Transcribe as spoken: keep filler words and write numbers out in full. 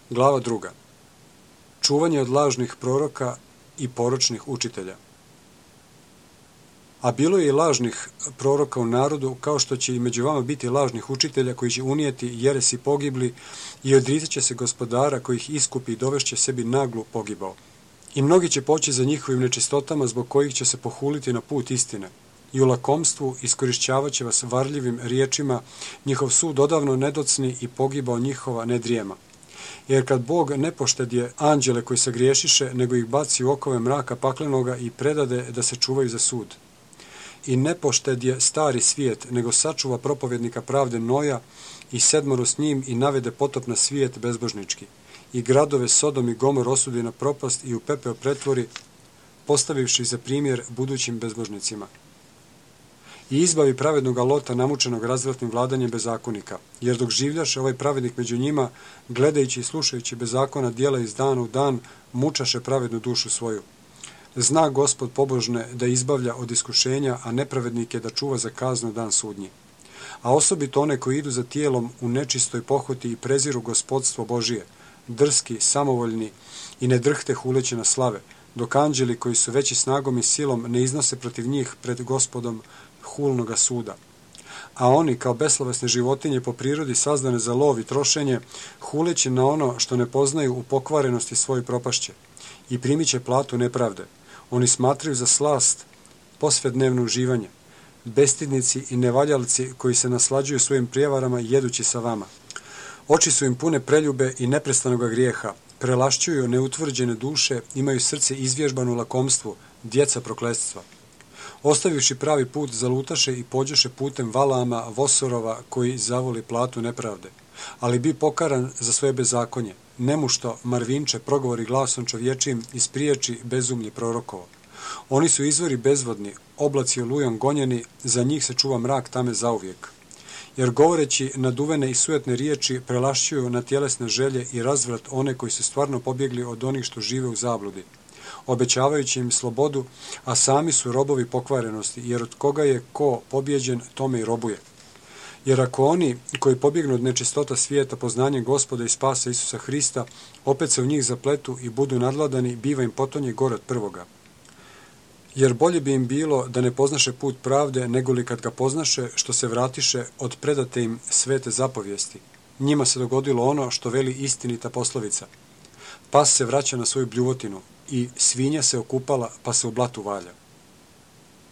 Glava druga. Čuvanje od lažnih proroka i poročnih učitelja. A bilo je i lažnih proroka u narodu, kao što će i među vama biti lažnih učitelja koji će unijeti jeresi pogibli i odricat će se gospodara koji ih iskupi i dovešće sebi naglu pogibao. I mnogi će poći za njihovim nečistotama zbog kojih će se pohuliti na put istine. I u lakomstvu iskorišćavat će vas varljivim riječima, njihov sud odavno nedocni i pogibao njihova nedrijema. Jer kad Bog ne poštedje anđele koji se griješiše, nego ih baci u okove mraka paklenoga i predade da se čuvaju za sud. I ne poštedje stari svijet, nego sačuva propovjednika pravde Noja i sedmoro s njim i navede potop na svijet bezbožnički. I gradove Sodom i Gomor osudi na propast i u pepeo pretvori, postavivši za primjer budućim bezbožnicima. I izbavi pravednoga Lota namučenog razvratnim vladanjem bezakonika, jer dok življaše ovaj pravednik među njima, gledajući i slušajući bezakona djela iz dana u dan, mučaše pravednu dušu svoju. Zna Gospod pobožne da izbavlja od iskušenja, a nepravednike da čuva za kaznu dan sudnji. A osobito one koji idu za tijelom u nečistoj pohoti i preziru gospodstvo Božije, drski, samovoljni i ne drhte huleći na slave, dok anđeli koji su veći snagom i silom ne iznose protiv njih pred Gospodom hulnoga suda. A oni, kao beslovesne životinje po prirodi sazdane za lov i trošenje, huleći na ono što ne poznaju u pokvarenosti svoje propašće i primit će platu nepravde. Oni smatraju za slast posvednevno uživanje, bestidnici i nevaljalci koji se naslađuju svojim prijevarama jedući sa vama. Oči su im pune preljube i neprestanoga grijeha, prelašćuju neutvrđene duše, imaju srce izvježbano u lakomstvu, djeca prokletstva. Ostavivši pravi put, zalutaše i pođeše putem Valama, Vosorova, koji zavoli platu nepravde. Ali bi pokaran za svoje bezakonje, nemušto Marvinče progovori glasom čovječijim i spriječi bezumlji prorokovo. Oni su izvori bezvodni, oblaci olujom gonjeni, za njih se čuva mrak tame zauvijek. Jer govoreći naduvene i sujetne riječi prelašćuju na tjelesne želje i razvrat one koji su stvarno pobjegli od onih što žive u zabludi, obećavajući im slobodu, a sami su robovi pokvarenosti, jer od koga je ko pobjeđen, tome i robuje. Jer ako oni koji pobjegnu od nečistota svijeta poznanjem Gospoda i spasa Isusa Hrista, opet se u njih zapletu i budu nadladani, biva im potonje gore od prvoga. Jer bolje bi im bilo da ne poznaše put pravde, nego li kad ga poznaše, što se vratiše od predate im svete zapovijesti. Njima se dogodilo ono što veli istinita poslovica. Pas se vraća na svoju bljuvotinu i svinja se okupala pa se u blatu valja.